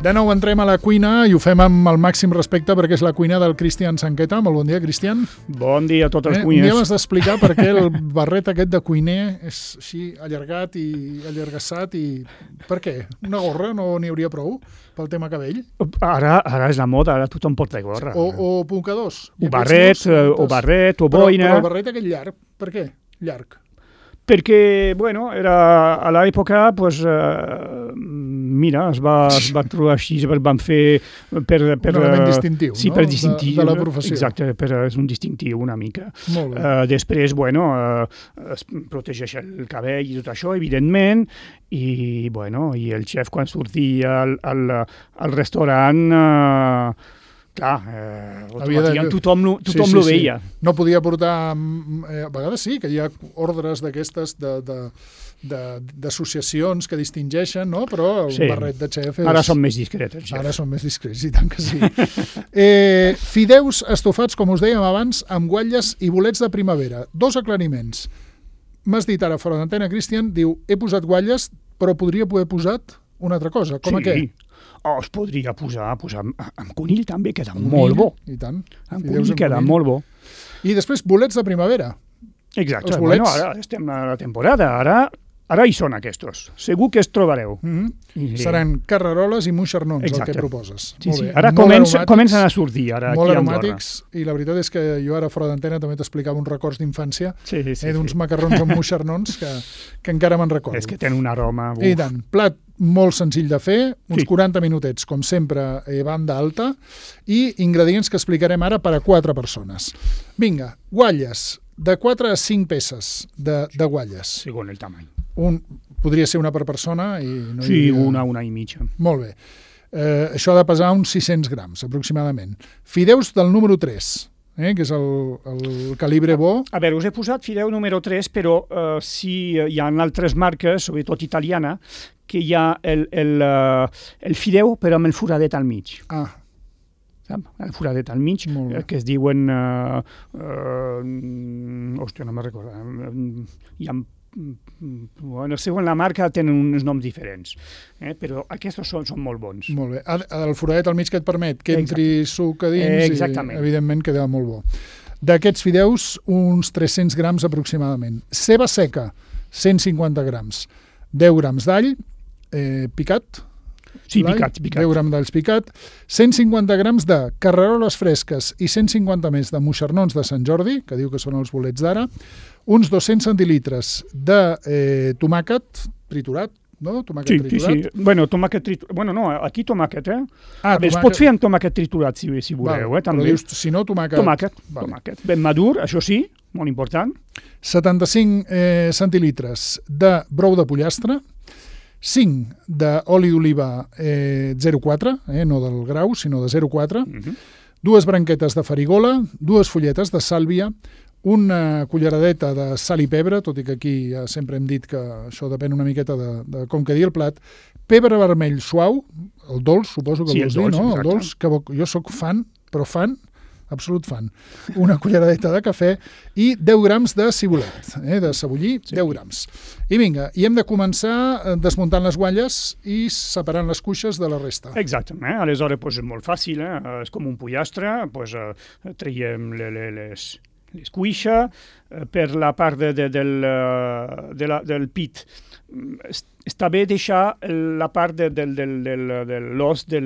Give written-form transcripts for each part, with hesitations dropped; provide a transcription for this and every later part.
De nou entrem a la cuina i ho fem amb el màxim respecte perquè és la cuina del Cristian Sanqueta. Molt bon dia, Cristian. Bon dia a tots els Un cuiners. dia m'has d'explicar per què el barret aquest de cuiner és així allargat i allargassat i... Per què? Una gorra no n'hi hauria prou pel tema cabell? Ara és la moda, ara tothom porta gorra. O mocadors? O barret, o boina. Però el barret aquest llarg, per què? Llarg. Perquè, bueno, era a l'època, pues, mira, es va trobar així, es van fer per un element distintiu, sí, no? Per distintiu. De la professió. Exacte, és un distintiu una mica. Molt bé. Després, bueno, es protegeix el cabell i tot això, evidentment, i, bueno, i el xef quan sortia al restaurant... tothom lo veia. No podia portar... A vegades sí, que hi ha ordres d'aquestes d'associacions que distingeixen, no? Però un barret de xef és... Ara són més discrets, el xef. Ara són més discrets, i tant que sí. Fideus estofats, com us dèiem abans, amb guatlles i bolets de primavera. 2 aclariments. M'has dit ara fora d'antena, Cristian, diu, he posat guatlles, però podria haver posat una altra cosa. Com a què? Es podria posar amb conill també, queda molt bo. I tant. Amb conill queda molt bo. I després bolets de primavera. Exacte. Bueno, ara estem a la temporada, ara hi són aquests. Segur que es trobareu. Seran carreroles i moixernons, el que proposes. Sí. Ara comencen a sortir. Molt aromàtics, i la veritat és que jo ara fora d'antena també t'explicava uns records d'infància d'uns macarrons amb moixernons que encara me'n recordo. És que tenen un aroma. I tant. Plat molt senzill de fer, uns 40 minutets, com sempre, banda alta, i ingredients que explicarem ara per a 4 persones. Vinga, guatlles, de 4 a 5 peces de guatlles. Segons el tamany. Podria ser una per persona? Una i mitja. Molt bé. Això ha de pesar uns 600 grams, aproximadament. Fideus del número 3, que és el calibre bo. A veure, us he posat fideu número 3, però si hi ha altres marques, sobretot italiana, que hi ha el fideu, però amb el foradet al mig. El foradet al mig, que es diuen... hòstia, no me'n recordo. Hi ha... Bueno, segons la marca tenen uns noms diferents, però aquests són molt bons. Molt bé. El foradet al mig que et permet que entri suc a dins i, evidentment, queda molt bo. D'aquests fideus, uns 300 grams aproximadament. Ceba seca, 150 grams. 10 grams d'all picat. Sí, picat. 10 grams d'alls picat. 150 grams de carreroles fresques i 150 més de moixernons de Sant Jordi, que diu que són els bolets d'ara. Uns 200 centilitres de tomàquet triturat, no? Tomàquet triturat. Sí. Bueno, tomàquet triturat. Bueno, no, aquí tomàquet, Es pot fer amb tomàquet triturat, si voleu, també. Però dius, si no, tomàquet. Tomàquet. Ben madur, això sí, molt important. 75 centilitres de brou de pollastre, 5 d'oli d'oliva 0,4, no del grau, sinó de 0,4, 2 branquetes de farigola, 2 fulletes de sàlvia, una culleradeta de sal i pebre, tot i que aquí ja sempre hem dit que això depèn una miqueta de com quedi el plat, pebre vermell suau, el dolç, suposo que vols dir, no? El dolç, que jo sóc fan, absolut fan. Una culleradeta de cafè i 10 grams de cibulet, de cebollí, 10 grams. I vinga, i hem de començar desmuntant les guatlles i separant les cuixes de la resta. Exactament, aleshores és molt fàcil, és com un pollastre, traiem les cuixes, per la part del pit. Està bé deixar la part de l'os de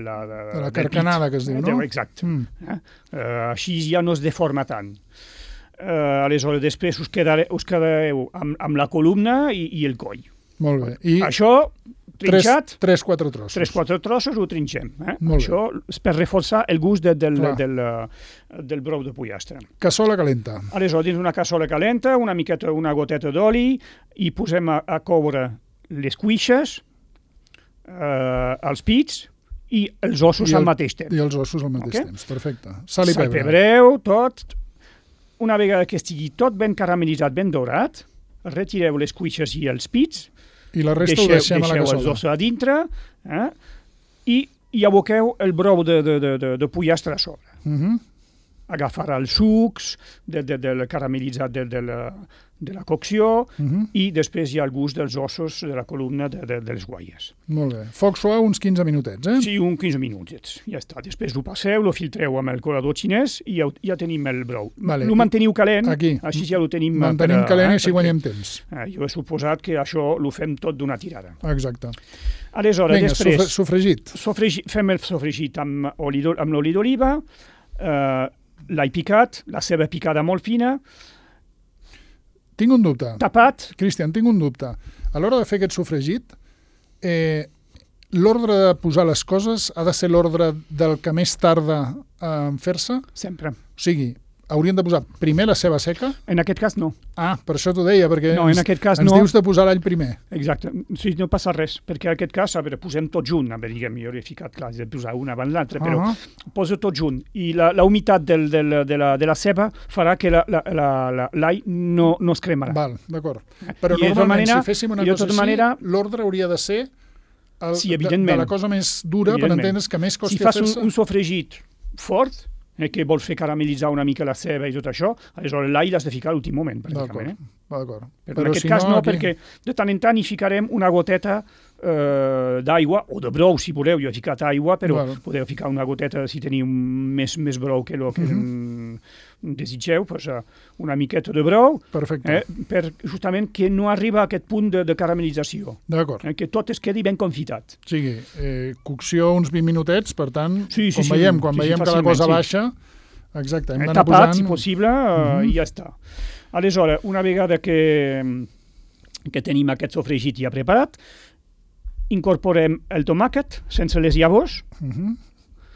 la carcanada, que es diu, no? Exacte. Així ja no es deforma tant. Aleshores, després us quedareu amb la columna i el coll. Molt bé. I això, trinxat... 3-4 trossos. 3-4 trossos ho trinxem. Això és per reforçar el gust del brou de pollastre. Cassola calenta. Aleshores, dins una cassola calenta, una goteta d'oli, i posem a coure les cuixes, els pits i els ossos al mateix temps. I els ossos al mateix temps, perfecte. Sal i pebre. Salpebreu, tot. Una vegada que estigui tot ben caramelitzat, ben dorat, retireu les cuixes i els pits, i la resta ho deixem a la cassola. Deixeu els ossos a dintre i aboqueu el brou de pollastre a sobre. agafarà els sucs del caramelitzat de la cocció i després hi ha el gust dels ossos de la columna de les guaies. Molt bé. Foc suau uns 15 minutets, eh? Sí, uns 15 minutets. Ja està. Després ho passeu, lo filtreu amb el colador xinès i ja tenim el brou. Lo manteniu calent, així ja lo tenim... Mantenim calent i així guanyem temps. Jo he suposat que això lo fem tot d'una tirada. Exacte. Aleshores, després... Sofregit. Fem el sofregit amb l'oli d'oliva, l'all picat, la ceba picada molt fina. Tinc un dubte. Tapat. Cristian, tinc un dubte. A l'hora de fer aquest sofregit, l'ordre de posar les coses ha de ser l'ordre del que més tarda en fer-se? Sempre. O sigui, haurien de posar primer la ceba seca? En aquest cas no. Ah, per això t'ho deia, perquè no, en aquest cas ens dius de posar l'all primer. Exacte. Sí, no passa res, perquè en aquest cas, posem tot junt. Diguem, jo he ficat, clar, de posar una abans l'altra, però poso tot junt. I la humitat de la ceba farà que l'all no es cremarà. Val, d'acord. Però normalment, si féssim una cosa així, l'ordre hauria de ser de la cosa més dura, per entendre's que més costi fer-se. Si fas un sofregit fort, que vols fer caramelitzar una mica la ceba i tot això, aleshores l'all l'has de ficar a l'últim moment, pràcticament. D'acord. Però en aquest cas no, perquè de tant en tant hi ficarem una goteta d'aigua, o de brou, si voleu. Jo he ficat aigua, però podeu ficar una goteta si teniu més brou que el que desitgeu, una miqueta de brou, per justament que no arriba a aquest punt de caramelització. D'acord. Que tot es quedi ben confitat. O sigui, cocció uns 20 minutets, per tant, quan veiem que la cosa baixa, exacte, hem d'anar posant... Tapat, si possible, i ja està. Aleshores, una vegada que tenim aquest sofregit ja preparat, incorporem el tomàquet sense les llavors,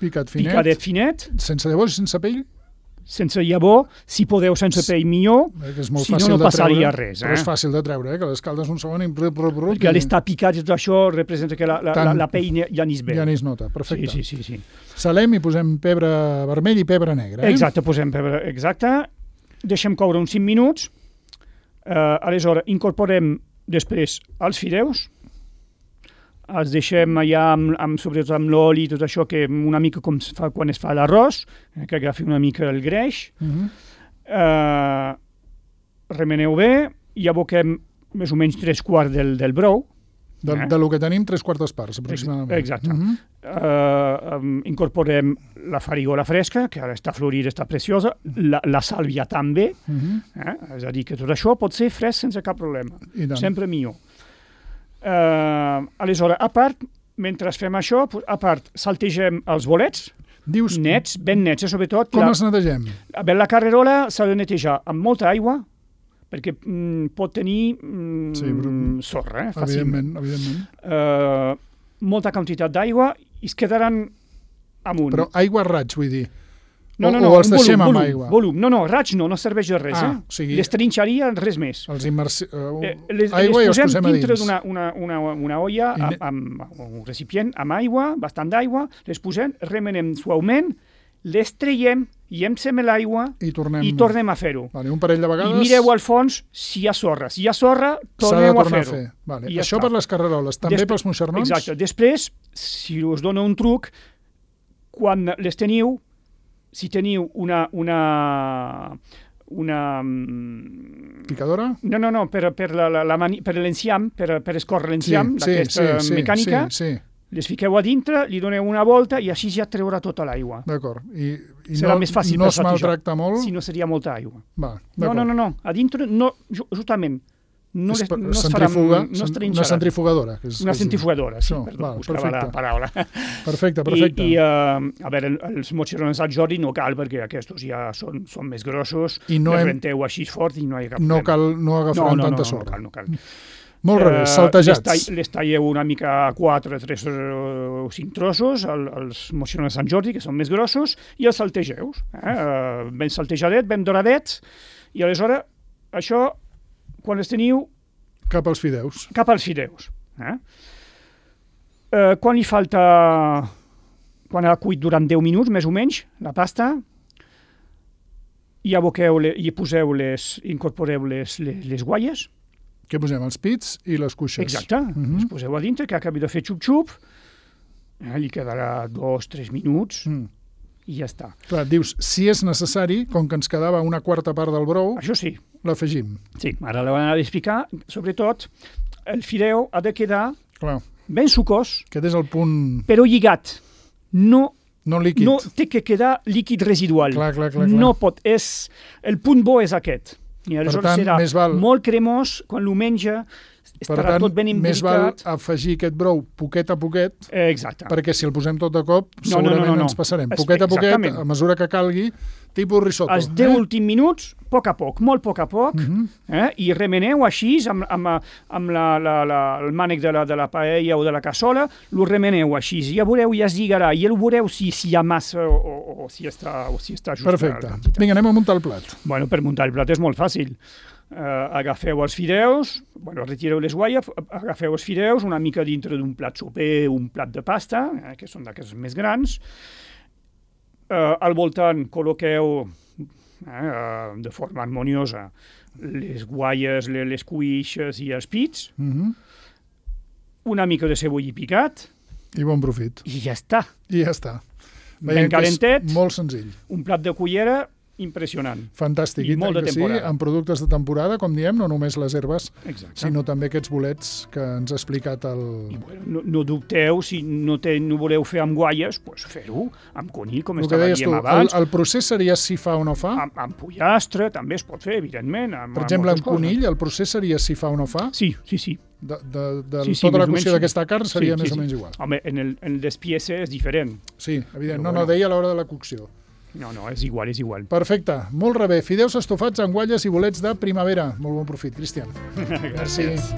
picadet finet. Sense llavors i sense pell? Sense llavor, si podeu sense pell millor, si no passaria res. Però és fàcil de treure, que l'escaldes un segon i... Perquè l'estar picat i tot això representa que la pell ja ni es veu. Ja ni es nota, perfecte. Sí. Salem i posem pebre vermell i pebre negre. Exacte, posem pebre, exacte. Deixem coure uns 5 minuts. Aleshores, incorporem després els fideus. Els deixem allà, sobretot amb l'oli i tot això, que una mica com es fa quan es fa l'arròs, que agafi una mica el greix. Remeneu bé i aboquem més o menys 3/4 del brou. De lo que tenim, 3/4 parts, aproximadament. Exacte. Incorporem la farigola fresca, que ara està florida, està preciosa, la sàlvia també, és a dir, que tot això pot ser fresc sense cap problema. Sempre millor. Aleshores, a part, mentre fem això, saltegem els bolets, nets, ben nets, sobretot. Com els netegem? La carrerola s'ha de netejar amb molta aigua, perquè pot tenir sorra, fàcilment. Evidentment. Molta quantitat d'aigua i es quedaran amunt. Però aigua a raig, vull dir. No, o els deixem amb aigua? Volum. No, raig no serveix de res. O sigui, les trinxaria res més. Aigua i els posem a dins. Les posem dintre d'una olla, amb un recipient, amb aigua, bastant d'aigua, les posem, remenem suaument, les traiem, llencem l'aigua i tornem a fer-ho. Un parell de vegades... I mireu al fons si hi ha sorra. Si hi ha sorra, torneu a fer-ho. Això per les carreroles, també pels moixernons? Exacte. Després, si us dono un truc, quan les teniu, si teniu una picadora? No, per l'enciam, per escórrer l'enciam, d'aquesta mecànica, les fiqueu a dintre, li doneu una volta i així ja treurà tota l'aigua. D'acord. I serà més fàcil no es maltracta molt? Si no seria molta aigua. No. A dintre, justament, no es una centrifugadora. Una centrifugadora, sí, perdó, buscava la paraula. Perfecte. I, a veure, els moixerons al Jordi no cal, perquè aquests ja són més grossos, les renteu així fort i no hi ha cap problema. No agafaran tanta sorra. No cal. Molt res, saltejats. Les talleu una mica a 4, 3 o 5 trossos, els moixerons de Sant Jordi, que són més grossos, i els saltegeu. Ben saltejadet, ben doradets, i aleshores, això, quan els teniu... Cap als fideus. Quan li falta... Quan ha cuit durant 10 minuts, més o menys, la pasta, i incorporeu les guaies. Què posem? Els pits i les cuixes. Exacte. Les poseu a dintre, que acabi de fer xup-xup, li quedarà 2-3 minuts, i ja està. Clar, dius, si és necessari, com que ens quedava una quarta part del brou, Això sí. l'afegim. Sí, ara l'ho he d'explicar. Sobretot, el fideu ha de quedar ben sucós, Aquest és el punt... però lligat. No líquid. No té que quedar líquid residual. Clar. No pot. El punt bo és aquest. I aleshores serà molt cremós, quan ho menja estarà tot ben imbricat. Més val afegir aquest brou poquet a poquet, perquè si el posem tot de cop, segurament ens passarem. Poquet a poquet, a mesura que calgui, tipus risotto. Els 10 últims minuts, poc a poc, molt poc a poc, i remeneu així amb el mànec de la paella o de la cassola, lo remeneu així, ja veureu, ja es lligarà, i ja veureu si hi ha massa o si està just. Perfecte. Vinga, anem a muntar el plat. Bueno, per muntar el plat és molt fàcil. Agafeu els fideus, retireu les guaies, agafeu els fideus una mica dintre d'un plat soper, un plat de pasta, que són d'aquests més grans. Al voltant col·loqueu de forma harmoniosa les guaies, les cuixes i els pits, una mica de ceboll picat. I bon profit. I ja està. Ben calentet. Molt senzill. Un plat de cullera impressionant. Fantàstic. I molt de temporada. Sí, amb productes de temporada, com diem, no només les herbes, sinó també aquests bolets que ens ha explicat el... No dubteu, si no voleu fer amb guaies, doncs fer-ho amb conill, com estava dient abans. El procés seria si fa o no fa? Amb pollastre també es pot fer, evidentment. Per exemple, amb conill, el procés seria si fa o no fa? Sí. Tota la qüestió d'aquesta carn seria més o menys igual. Home, en el despiece és diferent. Sí, evident. No, deia a l'hora de la cocció. No, és igual. Perfecte, molt rebé. Fideus estofats amb gualles i bolets de primavera. Molt bon profit, Cristian. Gràcies.